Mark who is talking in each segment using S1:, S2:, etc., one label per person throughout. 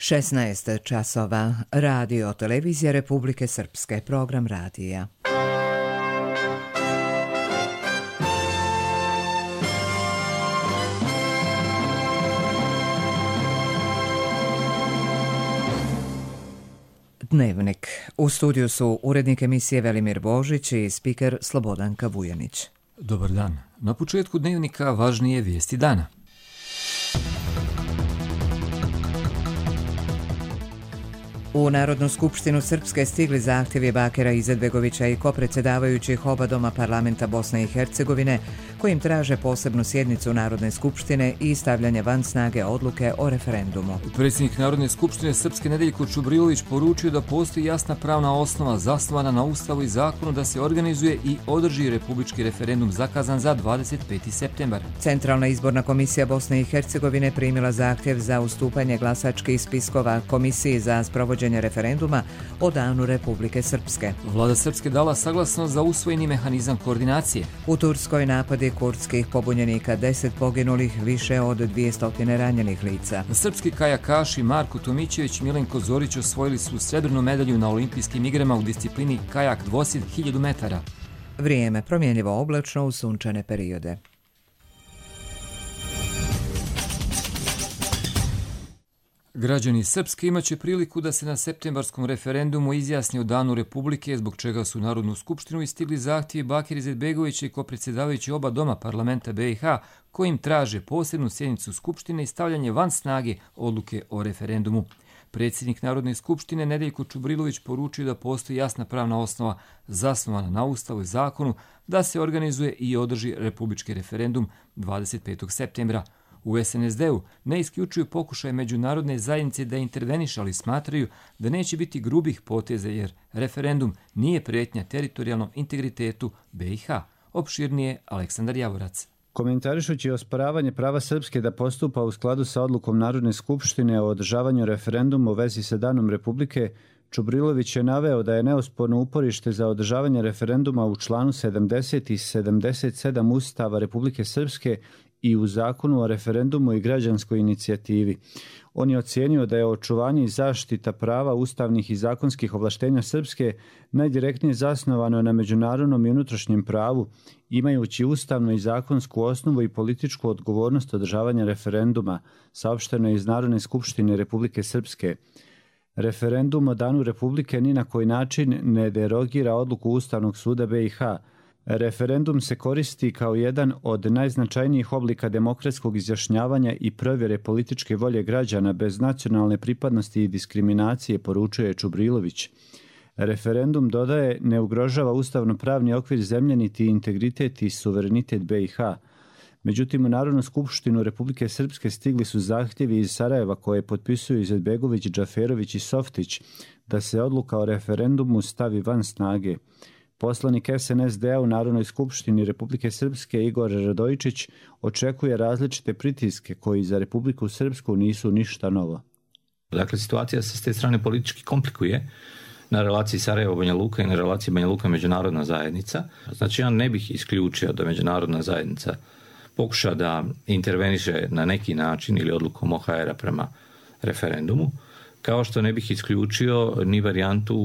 S1: 16 časova. Radio televizija Republike Srpske. Program radija. Dnevnik. U studiju su urednik emisije Velimir Božić i spiker Slobodanka Vujanić.
S2: Dobar dan. Na početku dnevnika važnije vijesti dana.
S1: U Narodnu skupštinu Srpske stigli zahtjevi Bakira Izetbegovića i kopredsjedavajućih oba doma parlamenta Bosne i Hercegovine, kojim traže posebnu sjednicu Narodne skupštine i stavljanje van snage odluke o referendumu.
S2: Predsjednik Narodne skupštine Srpske Nedeljko Čubrilović poručio da postoji jasna pravna osnova zasnovana na Ustavu i zakonu da se organizuje i održi republički referendum zakazan za 25. septembar.
S1: Centralna izborna komisija Bosne i Hercegovine primila zahtjev za ustupanje glasačkih spiskova Komisiji za sprovođenje referenduma o danu Republike Srpske.
S2: Vlada Srpske dala saglasnost za usvojeni mehanizam koordinacije.
S1: U Turskoj napadi kurdskih pobunjenika, 10 poginulih, više od 200 ranjenih lica.
S2: Srpski kajakaši Marko Tomićević i Milenko Zorić osvojili su srebrnu medalju na olimpijskim igrama u disciplini kajak dvosid 1000 metara.
S1: Vrijeme promjenjivo oblačno u sunčane periode.
S2: Građani Srpske imaće priliku da se na septembarskom referendumu izjasni o danu Republike, zbog čega su u Narodnu skupštinu istigli zahtjevi Bakira Izetbegovića i kopredsjedavajući oba doma parlamenta BiH, kojim traže posebnu sjednicu Skupštine i stavljanje van snage odluke o referendumu. Predsjednik Narodne skupštine Nedeljko Čubrilović poručio da postoji jasna pravna osnova zasnovana na Ustavu i zakonu da se organizuje i održi republički referendum 25. septembra. U SNSD-u ne isključuju pokušaje međunarodne zajednice da interveniše, ali smatraju da neće biti grubih poteza jer referendum nije prijetnja teritorijalnom integritetu BiH. Opširnije Aleksandar Javorac.
S3: Komentarišući osporavanje prava Srpske da postupa u skladu sa odlukom Narodne skupštine o održavanju referenduma u vezi sa danom Republike, Čubrilović je naveo da je neosporno uporište za održavanje referenduma u članu 70 i 77 Ustava Republike Srpske i u zakonu o referendumu i građanskoj inicijativi. On je ocijenio da je očuvanje i zaštita prava ustavnih i zakonskih ovlaštenja Srpske najdirektnije zasnovano na međunarodnom i unutrašnjem pravu, imajući ustavnu i zakonsku osnovu i političku odgovornost održavanja referenduma, saopšteno je iz Narodne skupštine Republike Srpske. Referendum o danu Republike ni na koji način ne derogira odluku Ustavnog suda BiH. Referendum se koristi kao jedan od najznačajnijih oblika demokratskog izjašnjavanja i provjere političke volje građana bez nacionalne pripadnosti i diskriminacije, poručuje Čubrilović. Referendum, dodaje, ne ugrožava ustavno-pravni okvir zemlje niti integritet i suverenitet BiH. Međutim, u Narodnu skupštinu Republike Srpske stigli su zahtjevi iz Sarajeva koje potpisuju Izetbegović, Džaferović i Softić da se odluka o referendumu stavi van snage. Poslanik SNSD-a u Narodnoj skupštini Republike Srpske Igor Radojičić očekuje različite pritiske koji za Republiku Srpsku nisu ništa novo.
S4: Dakle, situacija se s te strane politički komplikuje na relaciji Sarajevo-Banja Luka i na relaciji Banja Luka-Međunarodna zajednica. Znači, ja ne bih isključio da Međunarodna zajednica pokuša da interveniše na neki način ili odlukom OHR-a prema referendumu, kao što ne bih isključio ni varijantu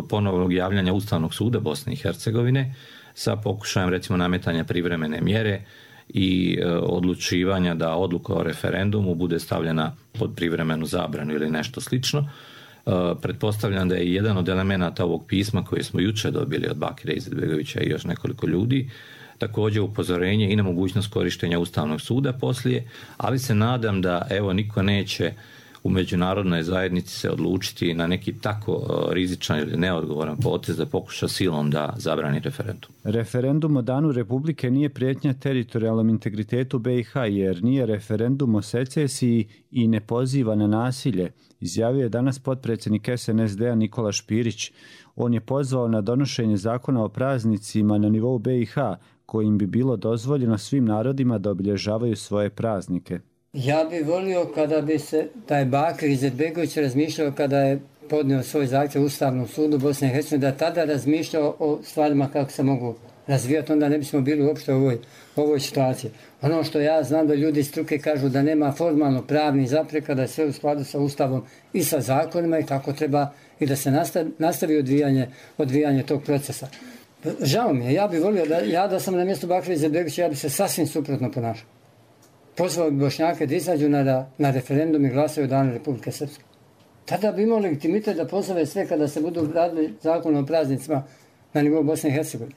S4: ponovnog javljanja Ustavnog suda Bosne i Hercegovine sa pokušajem recimo nametanja privremene mjere i odlučivanja da odluka o referendumu bude stavljena pod privremenu zabranu ili nešto slično. Pretpostavljam da je jedan od elemenata ovog pisma koje smo jučer dobili od Bakira Izetbegovića i još nekoliko ljudi također upozorenje i na mogućnost korištenja Ustavnog suda poslije, ali se nadam da niko neće u međunarodnoj zajednici se odlučiti na neki tako rizičan ili neodgovoran potez da pokuša silom da zabrani referendum.
S3: Referendum o danu Republike nije prijetnja teritorijalnom integritetu BiH jer nije referendum o secesiji i ne poziva na nasilje, izjavio je danas potpredsjednik SNSD-a Nikola Špirić. On je pozvao na donošenje zakona o praznicima na nivou BiH kojim bi bilo dozvoljeno svim narodima da obilježavaju svoje praznike.
S5: Ja bih volio kada bi se taj Bakir Izetbegović razmišljao kada je podnio svoj zahtjev Ustavnom sudu Bosne i Hercegovine, da tada razmišljao o stvarima kako se mogu razvijati, onda ne bismo bili uopšte u ovoj situaciji. Ono što ja znam da ljudi iz struke kažu da nema formalno pravnih zapreka, da je sve u skladu sa Ustavom i sa zakonima i tako treba i da se nastavi odvijanje tog procesa. Žao mi je, ja bih volio da sam na mjestu Bakira Izetbegovića, ja bih se sasvim suprotno ponašao. Pozvao bi Bošnjake da izađu na referendum i glasaju o Danu Republike Srpske. Tada bi imao legitimitet da pozove sve kada se budu radili zakon o praznicima na nivou Bosne i Hercegovine.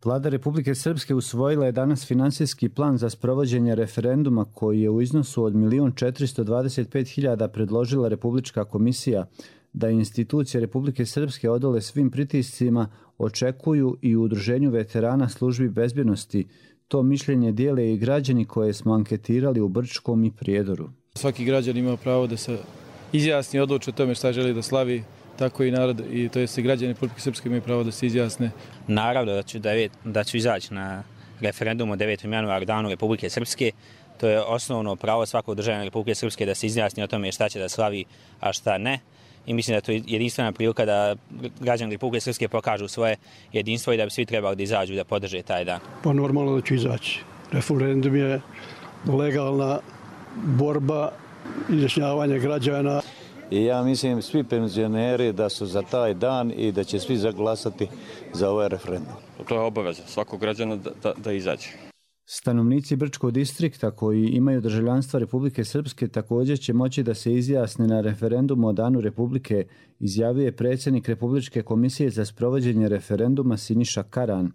S3: Vlada Republike Srpske usvojila je danas finansijski plan za sprovođenje referenduma koji je u iznosu od 1.425.000 predložila Republička komisija. Da institucije Republike Srpske odole svim pritiscima očekuju i u Udruženju veterana službi bezbjednosti. To mišljenje dijele i građani koje smo anketirali u Brčkom i Prijedoru.
S6: Svaki građan ima pravo da se izjasni i odluči o tome šta želi da slavi, tako i narod, i to jest i građani Republike Srpske imaju pravo da se izjasne.
S7: Naravno da ću izaći na referendum od 9. januara Danu Republike Srpske. To je osnovno pravo svakog državljana Republike Srpske da se izjasni o tome šta će da slavi, a šta ne. I mislim da to je jedinstvena prilika da građani Republike Srpske pokažu svoje jedinstvo i da bi svi trebali da izađu da podrže taj dan.
S8: Pa normalno da ću izaći. Referendum je legalna borba, izjašnjavanje građana.
S9: I ja mislim svi penzioneri da su za taj dan i da će svi zaglasati za ovaj referendum.
S10: To je obaveza svakog građana da izađe.
S3: Stanovnici Brčkog distrikta koji imaju državljanstvo Republike Srpske također će moći da se izjasne na referendumu o Danu Republike, izjavio je predsjednik Republičke komisije za sprovođenje referenduma Siniša Karan.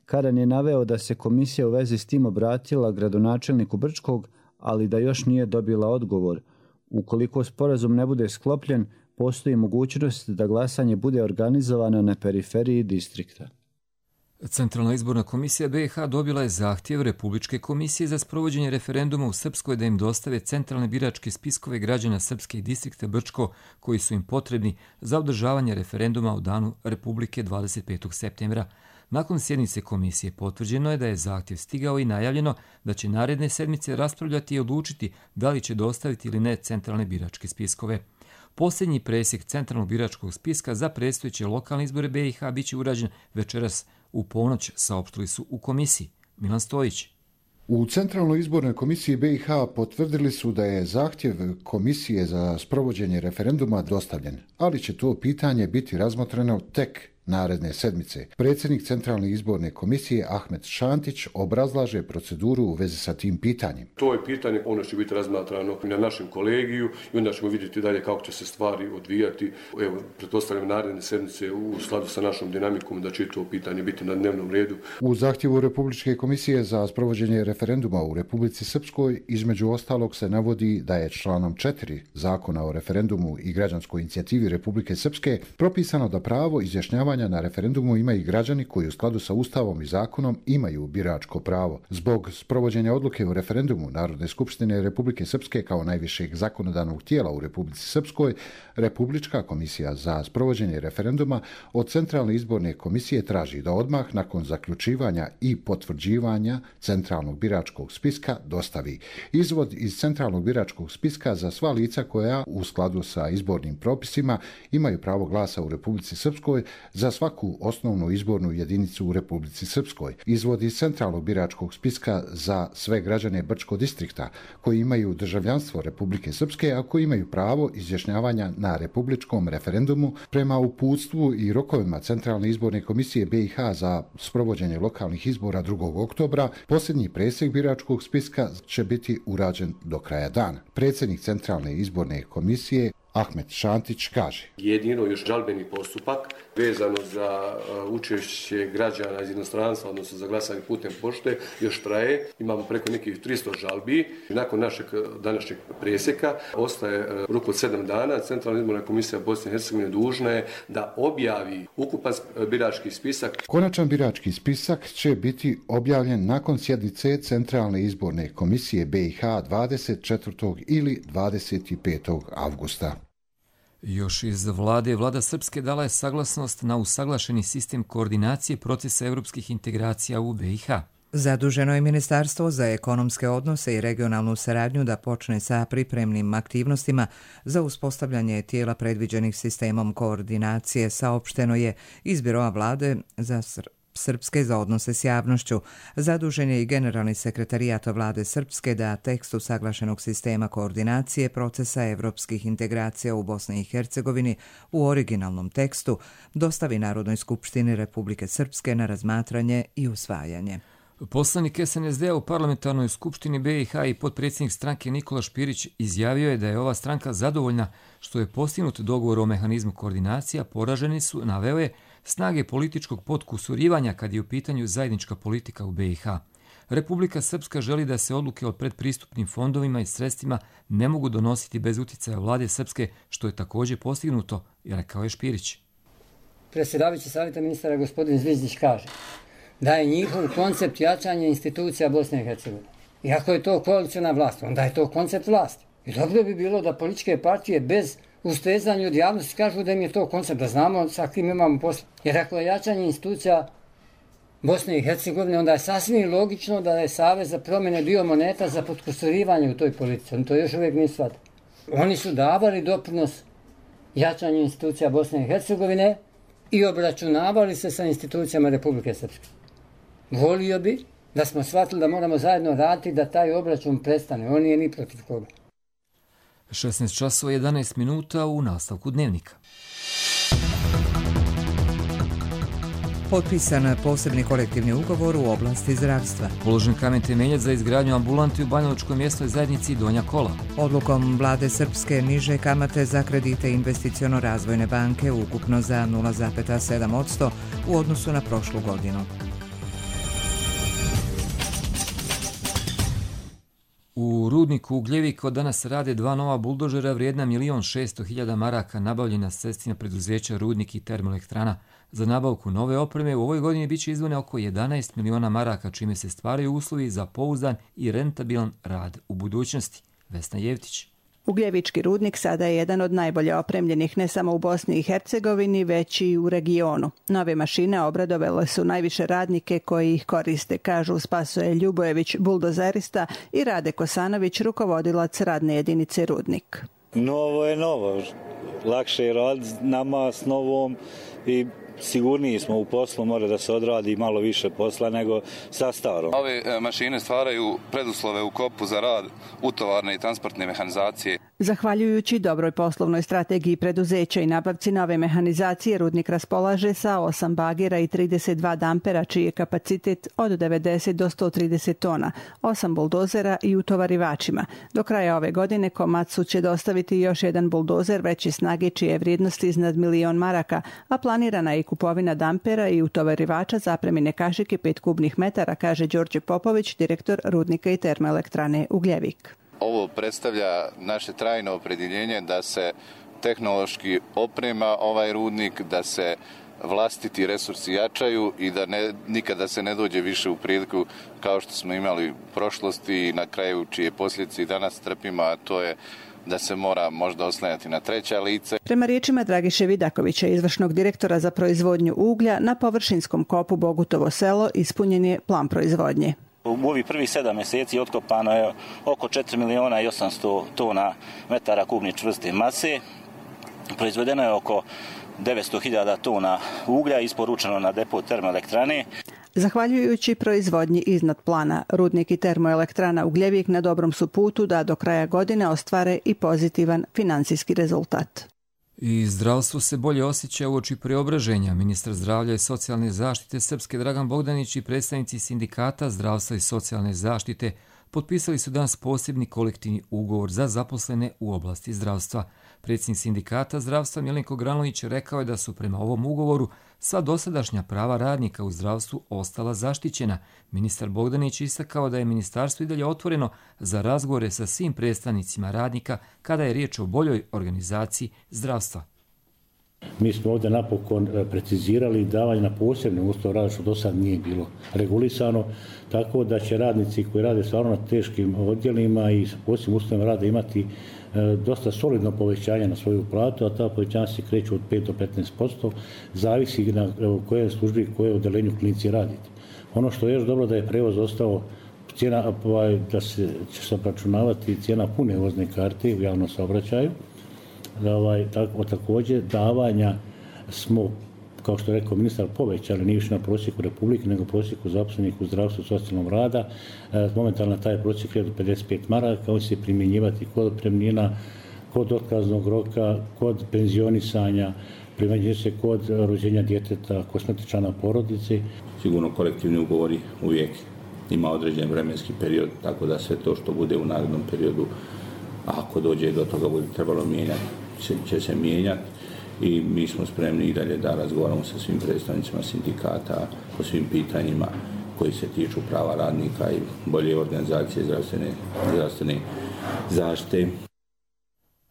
S3: Karan je naveo da se komisija u vezi s tim obratila gradonačelniku Brčkog, ali da još nije dobila odgovor. Ukoliko sporazum ne bude sklopljen, postoji mogućnost da glasanje bude organizovano na periferiji distrikta.
S2: Centralna izborna komisija BiH dobila je zahtjev Republičke komisije za sprovođenje referenduma u Srpskoj da im dostave centralne biračke spiskove građana Srpske i distrikta Brčko koji su im potrebni za održavanje referenduma u Danu Republike 25. septembra. Nakon sjednice komisije potvrđeno je da je zahtjev stigao i najavljeno da će naredne sedmice raspravljati i odlučiti da li će dostaviti ili ne centralne biračke spiskove. Posljednji presjek centralnog biračkog spiska za predstojeće lokalne izbore BiH bit će urađen večeras u ponoć, saopštili su u komisiji. Milan Stojić.
S11: U Centralnoj izbornoj komisiji BiH potvrdili su da je zahtjev komisije za sprovođenje referenduma dostavljen, ali će to pitanje biti razmotreno tek naredne sedmice. Predsjednik Centralne izborne komisije Ahmet Šantić obrazlaže proceduru u vezi sa tim pitanjem.
S12: To je pitanje, ono će biti razmatrano na našem kolegiju i onda ćemo vidjeti dalje kako će se stvari odvijati. Evo, pretpostavljam naredne sedmice u skladu sa našom dinamikom da će to pitanje biti na dnevnom redu.
S11: U zahtjevu Republičke komisije za sprovođenje referenduma u Republici Srpskoj između ostalog se navodi da je članom 4 Zakona o referendumu i građanskoj inicijativi Republike Srpske propisano da pravo izjašnjavanja na referendumu imaju i građani koji u skladu sa Ustavom i zakonom imaju biračko pravo. Zbog sprovođenja odluke o referendumu Narodne skupštine Republike Srpske kao najvišeg zakonodavnog tijela u Republici Srpskoj, Republička komisija za sprovođenje referenduma od Centralne izborne komisije traži da odmah nakon zaključivanja i potvrđivanja Centralnog biračkog spiska dostavi izvod iz Centralnog biračkog spiska za sva lica koja u skladu sa izbornim propisima imaju pravo glasa u Republici Srpskoj za svaku osnovnu izbornu jedinicu u Republici Srpskoj. Izvod iz Centralnog biračkog spiska za sve građane Brčkog distrikta koji imaju državljanstvo Republike Srpske, a koji imaju pravo izjašnjavanja na republičkom referendumu prema uputstvu i rokovima Centralne izborne komisije BiH za sprovođenje lokalnih izbora 2. oktobra, posljednji presjek biračkog spiska će biti urađen do kraja dana. Predsjednik Centralne izborne komisije Ahmet Šantić kaže.
S12: Jedino još žalbeni postupak vezano za učešće građana iz inostranstva, odnosno za glasanje putem pošte, još traje. Imamo preko nekih 300 žalbi. Nakon našeg današnjeg presjeka ostaje rok od 7 dana. Centralna izborna komisija Bosne i Hercegovine dužna je da objavi ukupan birački spisak.
S11: Konačan birački spisak će biti objavljen nakon sjednice Centralne izborne komisije BiH 24. ili 25. avgusta.
S2: Još iz Vlada Srpske dala je saglasnost na usaglašeni sistem koordinacije procesa europskih integracija u BiH.
S1: Zaduženo je Ministarstvo za ekonomske odnose i regionalnu saradnju da počne sa pripremnim aktivnostima za uspostavljanje tijela predviđenih sistemom koordinacije, saopšteno je iz Biroa Vlade Srpske za odnose s javnošću. Zadužen je i generalni sekretarijat vlade Srpske da tekst usaglašenog sistema koordinacije procesa evropskih integracija u Bosni i Hercegovini u originalnom tekstu dostavi Narodnoj skupštini Republike Srpske na razmatranje i usvajanje.
S2: Poslanik SNSD-a u parlamentarnoj skupštini BiH i potpredsjednik stranke Nikola Špirić izjavio je da je ova stranka zadovoljna što je postignut dogovor o mehanizmu koordinacija, poraženi su, naveo je, snage političkog potkusurivanja kad je u pitanju zajednička politika u BiH. Republika Srpska želi da se odluke o predpristupnim fondovima i sredstvima ne mogu donositi bez utjecaja vlade Srpske, što je također postignuto, rekao je Špirić.
S5: Predsjedavajući savjeta ministara gospodin Zvizdić kaže da je njihov koncept jačanja institucija Bosne i Hercegovine. Iako je to koalicijna vlast, onda je to koncept vlasti. I dobro bi bilo da političke partije bez ustezanja od javnosti kažu da im je to koncept, da znamo sa kim imamo posla. Jer ako je jačanje institucija Bosne i Hercegovine, onda je sasvim logično da je Savez za promjene bio moneta za potkusurivanje u toj politici. Oni to još uvijek nisu shvatili. Oni su davali doprinos jačanju institucija Bosne i Hercegovine i obračunavali se sa institucijama Republike Srpske. Volio bi da smo shvatili da moramo zajedno raditi da taj obračun prestane. On nije ni protiv koga.
S2: 16 časova 11 minuta u nastavku dnevnika.
S1: Potpisan posebni kolektivni ugovor u oblasti zdravstva.
S2: Položen kamen temeljac za izgradnju ambulanti u Banjalučkoj mjesnoj zajednici Donja Kola.
S1: Odlukom vlade Srpske niže kamate za kredite investiciono-razvojne banke ukupno za 0,7% u odnosu na prošlu godinu.
S2: U rudniku Ugljevik od danas rade 2 nova buldožera vrijedna 1.600.000 maraka nabavljena sredstvima preduzeća Rudnik i Termoelektrana. Za nabavku nove opreme u ovoj godini biće izdvojeno oko 11 miliona maraka, čime se stvaraju uslovi za pouzdan i rentabilan rad u budućnosti. Vesna Jevtić.
S13: Ugljevički rudnik sada je jedan od najbolje opremljenih ne samo u Bosni i Hercegovini, već i u regionu. Nove mašine obradovale su najviše radnike koji ih koriste, kažu Spasoje Ljubojević, buldozerista, i Rade Kosanović, rukovodilac radne jedinice Rudnik.
S14: Novo je novo. Lakše je rad nama s novom i sigurniji smo u poslu, mora da se odradi malo više posla nego sa starom.
S15: Ove mašine stvaraju preduslove u kopu za rad utovarne i transportne mehanizacije.
S13: Zahvaljujući dobroj poslovnoj strategiji preduzeća i nabavci nove mehanizacije, rudnik raspolaže sa 8 bagera i 32 dampera, čiji je kapacitet od 90 do 130 tona, 8 buldozera i utovarivačima. Do kraja ove godine Komatsu će dostaviti još jedan buldozer veće snage čije vrijednosti iznad 1.000.000 maraka, a planirana je i kupovina dampera i utovarivača zapremine kašike 5 kubnih metara, kaže Đorđe Popović, direktor Rudnika i Termoelektrane Ugljevik.
S15: Ovo predstavlja naše trajno opredjeljenje da se tehnološki oprema ovaj rudnik, da se vlastiti resursi jačaju i da nikada se ne dođe više u priliku kao što smo imali u prošlosti i na kraju čije posljedice i danas trpimo, a to je da se mora možda oslanjati na treća lice.
S13: Prema riječima Dragiše Vidakovića, izvršnog direktora za proizvodnju uglja, na površinskom kopu Bogutovo selo ispunjen je plan proizvodnje.
S16: U ovih prvih 7 mjeseci otkopano je oko 4.800.000 tona metara kubnih čvrste mase. Proizvedeno je oko 900.000 tona uglja, isporučeno na depo Termoelektrane.
S13: Zahvaljujući proizvodnji iznad plana, Rudnik i Termoelektrana Ugljevik na dobrom su putu da do kraja godine ostvare i pozitivan financijski rezultat.
S2: I zdravstvo se bolje osjeća uoči preobraženja. Ministar zdravlja i socijalne zaštite Srpske Dragan Bogdanić i predstavnici sindikata zdravstva i socijalne zaštite potpisali su danas posebni kolektivni ugovor za zaposlene u oblasti zdravstva. Predsjednik sindikata zdravstva Milenko Granović rekao je da su prema ovom ugovoru sva dosadašnja prava radnika u zdravstvu ostala zaštićena. Ministar Bogdanić istakao da je ministarstvo i dalje otvoreno za razgovore sa svim predstavnicima radnika kada je riječ o boljoj organizaciji zdravstva.
S17: Mi smo ovdje napokon precizirali davanje na posebne uslove rada, što do sad nije bilo regulisano, tako da će radnici koji rade stvarno na teškim odjelima i sa posebnim uslovima rada imati dosta solidno povećanje na svoju platu, a ta povećanja se kreću od 5 do 15%, zavisi na kojoj službi, koje odelenju klinici radite. Ono što je još dobro da je prevoz ostao cijena, da će se obračunavati cijena pune vozne karte u javnom saobraćaju. Također davanja smo kao što je rekao ministar, povećali, nije više na prosjeku Republike, nego prosjeku zaposlenih u zdravstvu i socijalnom rada. Momentalno taj prosjek je do 55 maraka, on će se primjenjivati kod otpremnina, kod otkaznog roka, kod penzionisanja, primjenjuje se kod rođenja djeteta, kod smrti člana porodice.
S4: Sigurno kolektivni ugovori uvijek ima određen vremenski period, tako da sve to što bude u narednom periodu, ako dođe do toga bude trebalo mijenjati, će se mijenjati i mi smo spremni i dalje da razgovaramo sa svim predstavnicima sindikata po svim pitanjima koji se tiču prava radnika i bolje organizacije zdravstvene zaštite.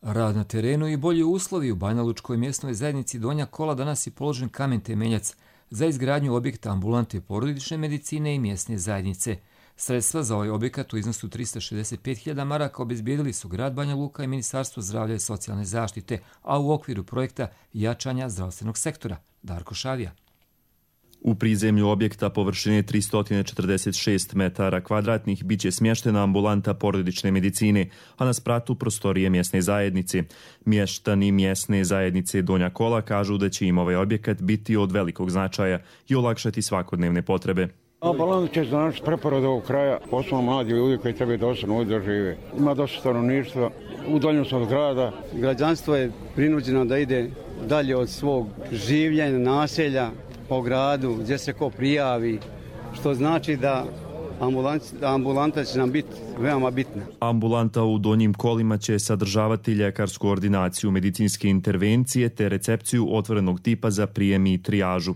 S2: Rad na terenu i bolji uslovi u Banjalučkoj mjesnoj zajednici Donja Kola danas je položen kamen temeljac za izgradnju objekta ambulante porodične medicine i mjesne zajednice. Sredstva za ovaj objekat u iznosu 365.000 maraka obezbijedili su grad Banja Luka i Ministarstvo zdravlja i socijalne zaštite, a u okviru projekta jačanja zdravstvenog sektora. Darko Šavija.
S18: U prizemlju objekta površine 346 metara kvadratnih biće smještena ambulanta porodične medicine, a na spratu prostorije mjesne zajednice. Mještani mjesne zajednice Donja Kola kažu da će im ovaj objekat biti od velikog značaja i olakšati svakodnevne potrebe.
S19: Ambulanta će znači preporod ovog kraja, posebno mladi ljudi koji trebaju da ostanu ovdje da žive. Ima dosta stanovništva, udaljeno su od grada.
S20: Građanstvo je prinuđeno da ide dalje od svog življenja, naselja, po gradu, gdje se ko prijavi, što znači da ambulanta će nam biti veoma bitna.
S18: Ambulanta u Donjim Kolima će sadržavati ljekarsku ordinaciju medicinske intervencije te recepciju otvorenog tipa za prijem i trijažu.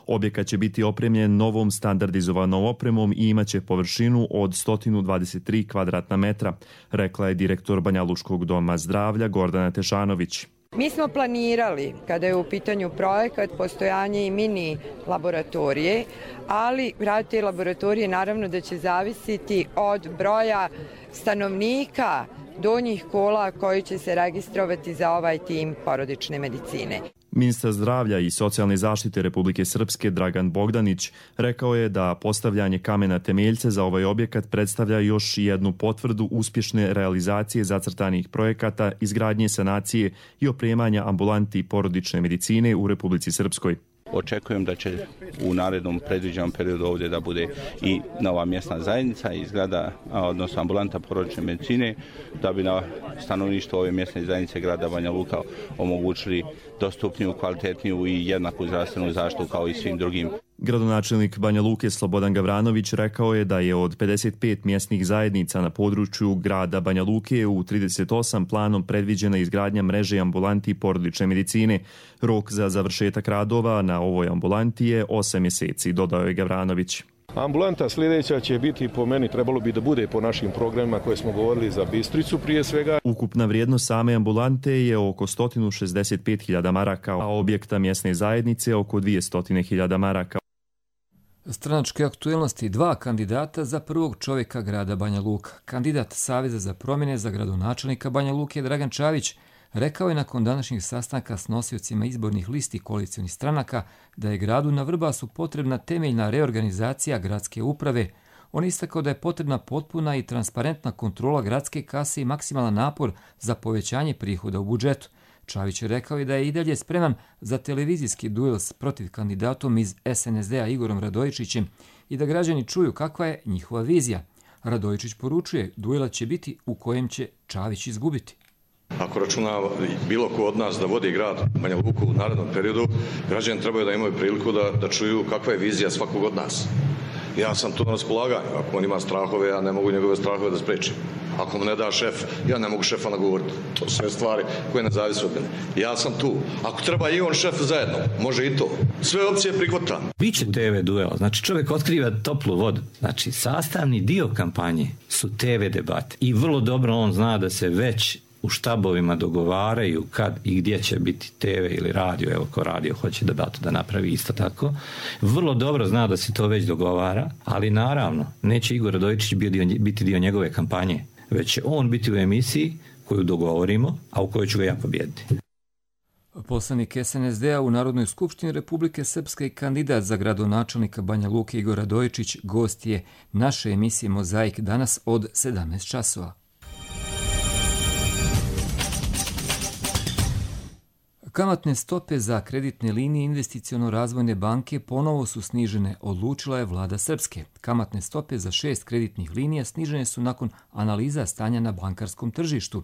S18: Objekat će biti opremljen novom standardizovanom opremom i imaće površinu od 123 kvadratna metra, rekla je direktor Banjalučkog doma zdravlja Gordana Tešanović.
S21: Mi smo planirali, kada je u pitanju projekat, postojanje i mini laboratorije, ali rad te laboratorije naravno da će zavisiti od broja stanovnika Donjih Kola koji će se registrovati za ovaj tim porodične medicine.
S18: Ministar zdravlja i socijalne zaštite Republike Srpske Dragan Bogdanić rekao je da postavljanje kamena temeljca za ovaj objekat predstavlja još jednu potvrdu uspješne realizacije zacrtanih projekata izgradnje, sanacije i opremanja ambulanti porodične medicine u Republici Srpskoj.
S22: Očekujem da će u narednom predviđenom periodu ovdje da bude i nova mjesna zajednica i zgrada, odnosno ambulanta porodične medicine, da bi na stanovništvo ove mjesne zajednice grada Banja Luka omogućili dostupniju, kvalitetniju i jednaku zdravstvenu zaštitu kao i svim drugim.
S18: Gradonačelnik Banja Luke Slobodan Gavranović rekao je da je od 55 mjesnih zajednica na području grada Banja Luke u 38 planom predviđena izgradnja mreže ambulanti porodične medicine. Rok za završetak radova na ovoj ambulanti je 8 mjeseci, dodao je Gavranović.
S23: Ambulanta sljedeća će biti, po meni, trebalo bi da bude po našim programima koje smo govorili za Bistricu prije svega.
S18: Ukupna vrijednost same ambulante je oko 165.000 maraka, a objekta mjesne zajednice oko 200.000 maraka.
S2: Stranačke aktuelnosti, 2 kandidata za prvog čovjeka grada Banja Luka. Kandidat Saveza za promjene za gradonačelnika Banja Luke Dragan Čavić rekao je nakon današnjih sastanka s nosiocima izbornih listi koalicionih stranaka da je gradu na Vrbasu potrebna temeljna reorganizacija gradske uprave. On istakao da je potrebna potpuna i transparentna kontrola gradske kase i maksimalan napor za povećanje prihoda u budžetu. Čavić je rekao i da je i dalje spreman za televizijski duel s protiv kandidatom iz SNSD-a Igorom Radojičićem i da građani čuju kakva je njihova vizija. Radojičić poručuje, duela će biti u kojem će Čavić izgubiti.
S24: Ako računa bilo ko od nas da vodi grad Banja Luku u narednom periodu, građani trebaju da imaju priliku da čuju kakva je vizija svakog od nas. Ja sam tu na raspolaganju. Ako on ima strahove, ja ne mogu njegove strahove da sprečim. Ako mu ne da šef, ja ne mogu šefa nagovoriti. To su sve stvari koje ne zavise od mene. Ja sam tu. Ako treba i on šef zajedno, može i to. Sve opcije prihvatam.
S4: Biće TV duel. Znači čovjek otkriva toplu vodu. Znači sastavni dio kampanje su TV debate. I vrlo dobro on zna da se već u štabovima dogovaraju kad i gdje će biti TV ili radio, evo ko radio hoće debatu da napravi isto tako. Vrlo dobro zna da se to već dogovara, ali naravno neće Igor Radojičić biti dio njegove kampanje, već će on biti u emisiji koju dogovorimo, a u kojoj ću ga ja pobijediti.
S2: Poslanik SNSD-a u Narodnoj skupštini Republike Srpske i kandidat za gradonačelnika Banja Luke Igor Radojičić gost je naše emisije Mozaik danas od 17 časova. Kamatne stope za kreditne linije investiciono-razvojne banke ponovo su snižene, odlučila je vlada Srpske. Kamatne stope za 6 kreditnih linija snižene su nakon analiza stanja na bankarskom tržištu.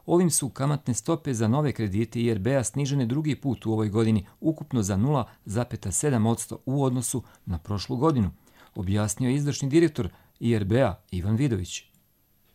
S2: Ovim su kamatne stope za nove kredite IRB-a snižene drugi put u ovoj godini, ukupno za 0,7% u odnosu na prošlu godinu, objasnio je izvršni direktor IRB-a Ivan Vidović.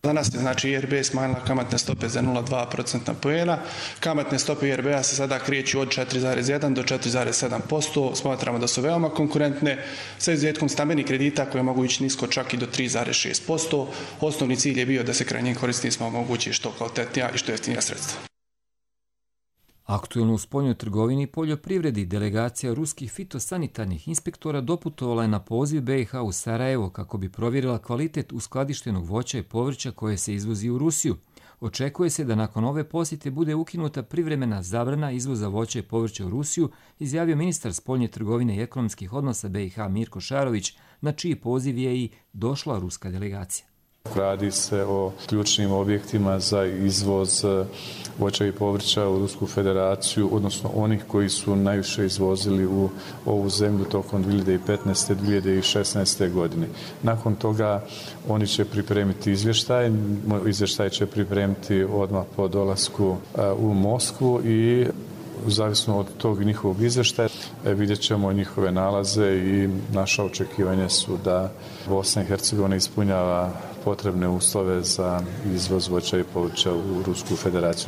S6: Danas je znači IRB smanjila kamatne stope za 0,2% poena. Kamatne stope IRB-a se sada kreću od 4,1 do 4,7%. Smatramo da su veoma konkurentne, sa izuzetkom stambenih kredita koje mogu ići nisko čak i do 3,6%. Osnovni cilj je bio da se krajnjim korisnicima omogući što kvalitetnija i što jeftinija sredstva.
S2: Aktuelno u spoljnoj trgovini i poljoprivredi delegacija ruskih fitosanitarnih inspektora doputovala je na poziv BiH u Sarajevo kako bi provjerila kvalitet uskladištenog voća i povrća koje se izvozi u Rusiju. Očekuje se da nakon ove posjete bude ukinuta privremena zabrana izvoza voća i povrća u Rusiju, izjavio ministar spoljne trgovine i ekonomskih odnosa BiH Mirko Šarović, na čiji poziv je i došla ruska delegacija.
S7: Radi se o ključnim objektima za izvoz voća i povrća u Rusku federaciju, odnosno onih koji su najviše izvozili u ovu zemlju tokom 2015. 2016. godine. Nakon toga oni će pripremiti izvještaj će pripremiti odmah po dolasku u Moskvu i zavisno od tog njihovog izvještaja vidjet ćemo njihove nalaze i naša očekivanja su da Bosna i Hercegovina ispunjava potrebne uslove za izvoz voća i povrća u Rusku federaciju.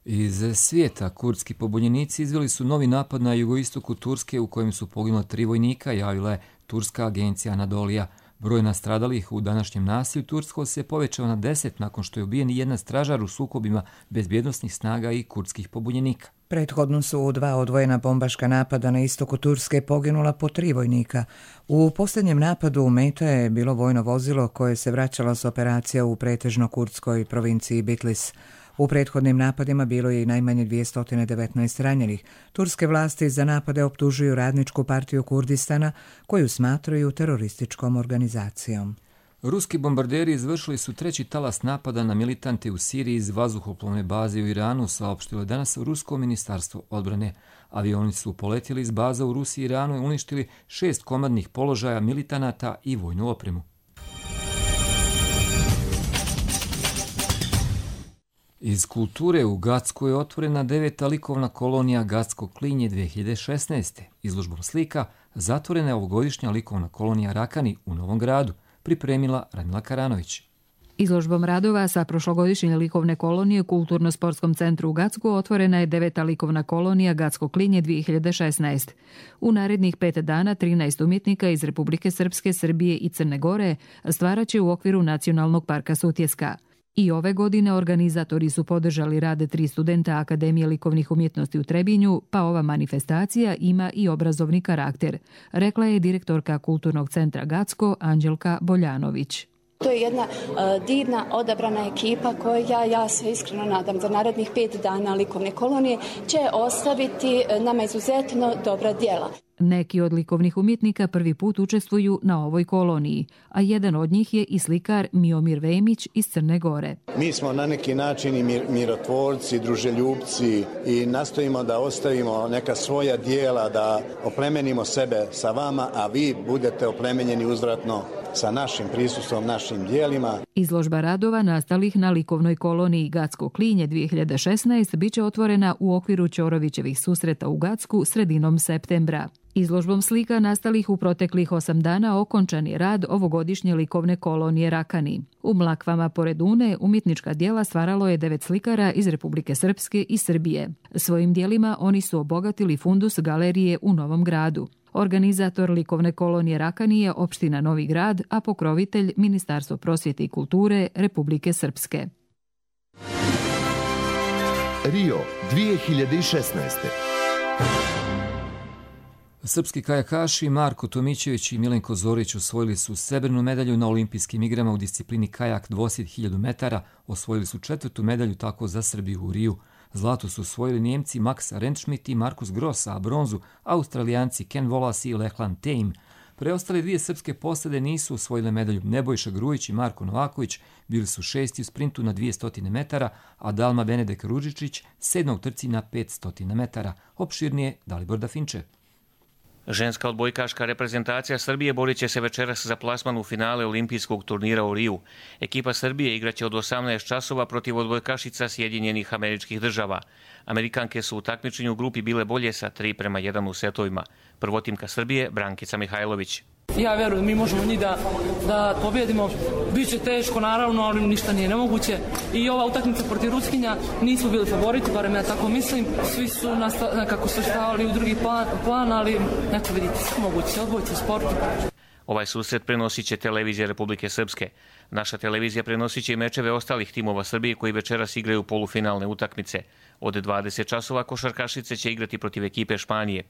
S2: Iz svijeta kurdski pobunjenici izveli su novi napad na jugoistoku Turske u kojem su poginula 3 vojnika, javila je turska agencija Anadolija. Broj nastradalih u današnjem nasilju tursko se povećao na 10 nakon što je ubijen jedan stražar u sukobima bezbjednosnih snaga i kurdskih pobunjenika.
S1: Prethodno su u 2 odvojena bombaška napada na istoku Turske poginula po 3 vojnika. U posljednjem napadu u meta je bilo vojno vozilo koje se vraćalo s operacija u pretežno kurdskoj provinciji Bitlis. U prethodnim napadima bilo je i najmanje 219 ranjenih. Turske vlasti za napade optužuju Radničku partiju Kurdistana, koju smatraju terorističkom organizacijom.
S2: Ruski bombarderi izvršili su 3. talas napada na militante u Siriji iz vazduhoplovne baze u Iranu, saopštilo je danas Rusko ministarstvo odbrane. Avioni su poletjeli iz baza u Rusiji i Iranu i uništili 6 komadnih položaja militanata i vojnu opremu. Iz kulture u Gacku je otvorena 9. likovna kolonija Gacko klinje 2016. Izložbom slika zatvorena je ovogodišnja likovna kolonija Rakani u Novom Gradu, pripremila Radmila Karanović.
S8: Izložbom radova sa prošlogodišnje likovne kolonije u Kulturno-sportskom centru u Gacku otvorena je 9. likovna kolonija Gacko klinje 2016. U narednih 5 dana 13 umjetnika iz Republike Srpske, Srbije i Crne Gore stvarat će u okviru Nacionalnog parka Sutjeska. I ove godine organizatori su podržali rade 3 studenta Akademije likovnih umjetnosti u Trebinju, pa ova manifestacija ima i obrazovni karakter, rekla je direktorka Kulturnog centra Gacko Anđelka Boljanović.
S9: To je jedna divna, odabrana ekipa koja, ja se iskreno nadam, za narednih 5 dana likovne kolonije će ostaviti nama izuzetno dobra djela.
S8: Neki od likovnih umjetnika prvi put učestvuju na ovoj koloniji, a jedan od njih je i slikar Miomir Vemić iz Crne Gore.
S25: Mi smo na neki način i mirotvorci, druželjubci i nastojimo da ostavimo neka svoja dijela, da oplemenimo sebe sa vama, a vi budete oplemenjeni uzvratno sa našim prisustvom, našim dijelima.
S8: Izložba radova nastalih na likovnoj koloniji Gacko klinje 2016 biće otvorena u okviru Ćorovićevih susreta u Gacku sredinom septembra. Izložbom slika nastalih u proteklih 8 dana okončan je rad ovogodišnje likovne kolonije Rakani. U Mlakvama pored Une umjetnička djela stvaralo je 9 slikara iz Republike Srpske i Srbije. Svojim djelima oni su obogatili fundus galerije u Novom Gradu. Organizator likovne kolonije Rakani je opština Novi Grad, a pokrovitelj Ministarstvo prosvjete i kulture Republike Srpske.
S26: Rio 2016.
S2: Srpski kajakaši Marko Tomićević i Milenko Zorić osvojili su srebrnu medalju na olimpijskim igrama u disciplini kajak dvosjed 1000 metara, osvojili su 4. medalju tako za Srbiju u Riju. Zlato su osvojili Njemci Max Rentschmidt i Markus Gross, a bronzu Australijanci Ken Wallace i Lachlan Tame. Preostale dvije srpske posade nisu osvojile medalju. Nebojša Grujić i Marko Novaković bili su 6. u sprintu na 200 metara, a Dalma Benedek Ružičić 7. u trci na 500 metara. Opširnije Dalibor Dafinče.
S3: Ženska odbojkaška reprezentacija Srbije borit će se večeras za plasman u finale olimpijskog turnira u Riju. Ekipa Srbije igraće od 18 časova protiv odbojkašica Sjedinjenih Američkih Država. Amerikanke su u takmičenju u grupi bile bolje sa 3:1 u setovima. Prvotimka Srbije Brankica Mihajlović.
S5: Ja verujem, mi možemo njih da pobjedimo. Biće teško, naravno, ali ništa nije nemoguće. I ova utakmica protiv Ruskinja nismo bili favoriti, barem ja tako mislim. Svi su nekako se stavili u drugi plan, ali eto vidite, sve moguće, odbojci u sportu.
S3: Ovaj susret prenosit će televizija Republike Srpske. Naša televizija prenosit će i mečeve ostalih timova Srbije koji večeras igraju polufinalne utakmice. Od 20 časova košarkašice će igrati protiv ekipe Španije.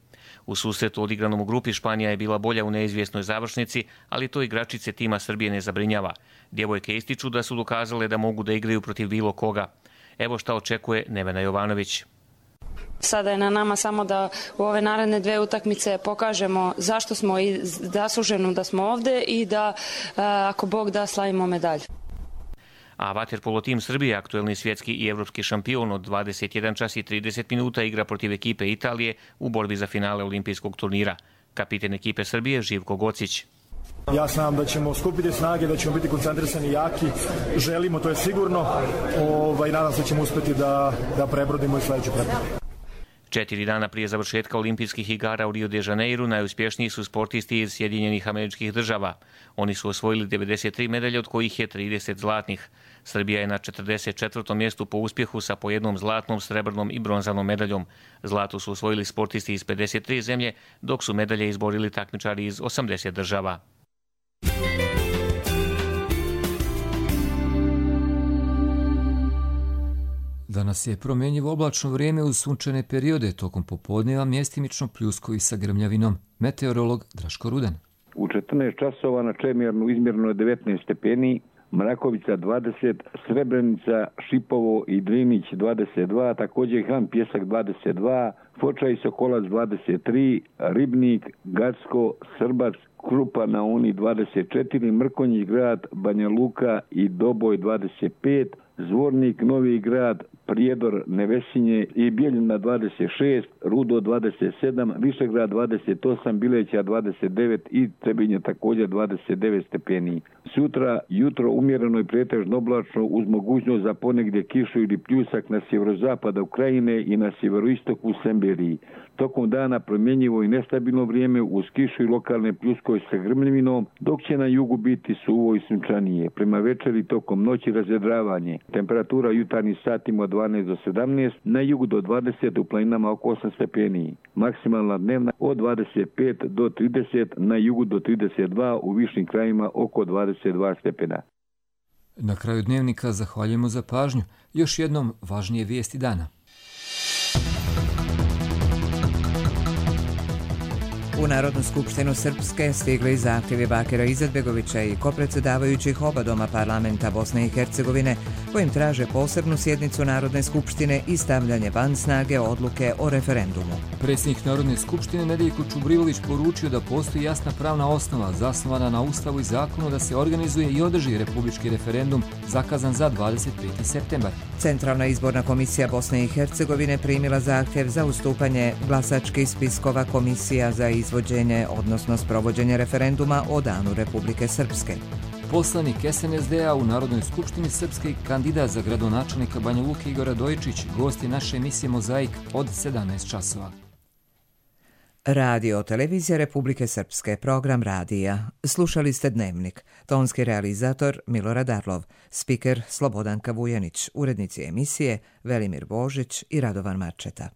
S3: U susretu odigranom u grupi Španija je bila bolja u neizvjesnoj završnici, ali to igračice tima Srbije ne zabrinjava. Djevojke ističu da su dokazale da mogu da igraju protiv bilo koga. Evo šta očekuje Nevena Jovanović.
S10: Sada je na nama samo da u ove naredne dve utakmice pokažemo zašto smo i zasluženo da smo ovde i da, ako Bog da, slavimo medalju.
S3: A vaterpolo tim Srbije, aktuelni svjetski i evropski šampion, od 21 čas i 30 minuta igra protiv ekipe Italije u borbi za finale olimpijskog turnira. Kapiten ekipe Srbije Živko Gocić.
S11: Ja znam da ćemo skupiti snage, da ćemo biti koncentrisani i jaki. Želimo, to je sigurno. Nadam se da ćemo uspjeti da prebrodimo i sledeću prepreku.
S3: 4 dana prije završetka olimpijskih igara u Rio de Janeiro najuspješniji su sportisti iz Sjedinjenih Američkih Država. Oni su osvojili 93 medalje, od kojih je 30 zlatnih. Srbija je na 44. mjestu po uspjehu sa po jednom zlatnom, srebrnom i bronzanom medaljom. Zlato su osvojili sportisti iz 53 zemlje, dok su medalje izborili takmičari iz 80 država.
S2: Danas je promjenjivo oblačno vrijeme uz sunčane periode, tokom popodneva mjestimično pljuskovi sa grmljavinom. Meteorolog Draško Rudan.
S12: U 14 časova na Čemirnu izmjereno je 19 stepeni, Mrakovica 20, Srebrenica, Šipovo i Drinić 22, također Han Pjesak 22, Foča i Sokolac 23, Ribnik, Gacko, Srbac, Krupa na Uni 24, Mrkonjić grad, Banja Luka i Doboj 25, Zvornik, Novi grad, Prijedor, Nevesinje i Bijeljina 26, Rudo 27, Višegrad 28, Bileća 29 i Trebinje također 29 stepeni. Sutra jutro umjereno i pretežno oblačno uz mogućnost za ponegdje kišu ili pljusak na sjeverozapada Ukrajine i na sjeveroistoku Semberiji. Tokom dana promjenjivo i nestabilno vrijeme uz kišu i lokalne pljuskove sa grmljavinom, dok će na jugu biti suvo i sunčanije. Prema večeri tokom noći razvedravanje. Temperatura jutarnjih satima od 12 do 17, na jugu do 20, u planinama oko 8 stepeni. Maksimalna dnevna od 25 do 30, na jugu do 32, u višim krajima oko 22 stepena.
S2: Na kraju dnevnika zahvaljujemo za pažnju. Još jednom važnije vijesti dana.
S1: U Narodnu skupštinu Srpske stigli zahtjevi Bakira Izetbegovića i kopredsjedavajućih oba doma parlamenta Bosne i Hercegovine, kojim traže posebnu sjednicu Narodne skupštine i stavljanje van snage odluke o referendumu.
S2: Predsjednik Narodne skupštine Nedeljko Čubrilović poručio da postoji jasna pravna osnova zasnovana na Ustavu i zakonu da se organizuje i održi republički referendum zakazan za 25. septembar.
S1: Centralna izborna komisija Bosne i Hercegovine primila zahtjev za ustupanje glasačkih spiskova komisija za izvođenje, odnosno sprovođenje referenduma o danu Republike Srpske.
S2: Poslanik SNSD-a u Narodnoj skupštini Srpske i kandidat za gradonačelnika Banja Luke Igor Radojičić gost je naše emisije Mozaik od 17 časova.
S1: Radio televizija Republike Srpske, program radija. Slušali ste Dnevnik. Tonski realizator Milorad Arlov, spiker Slobodanka Vujanić, urednici emisije Velimir Božić i Radovan Marčeta.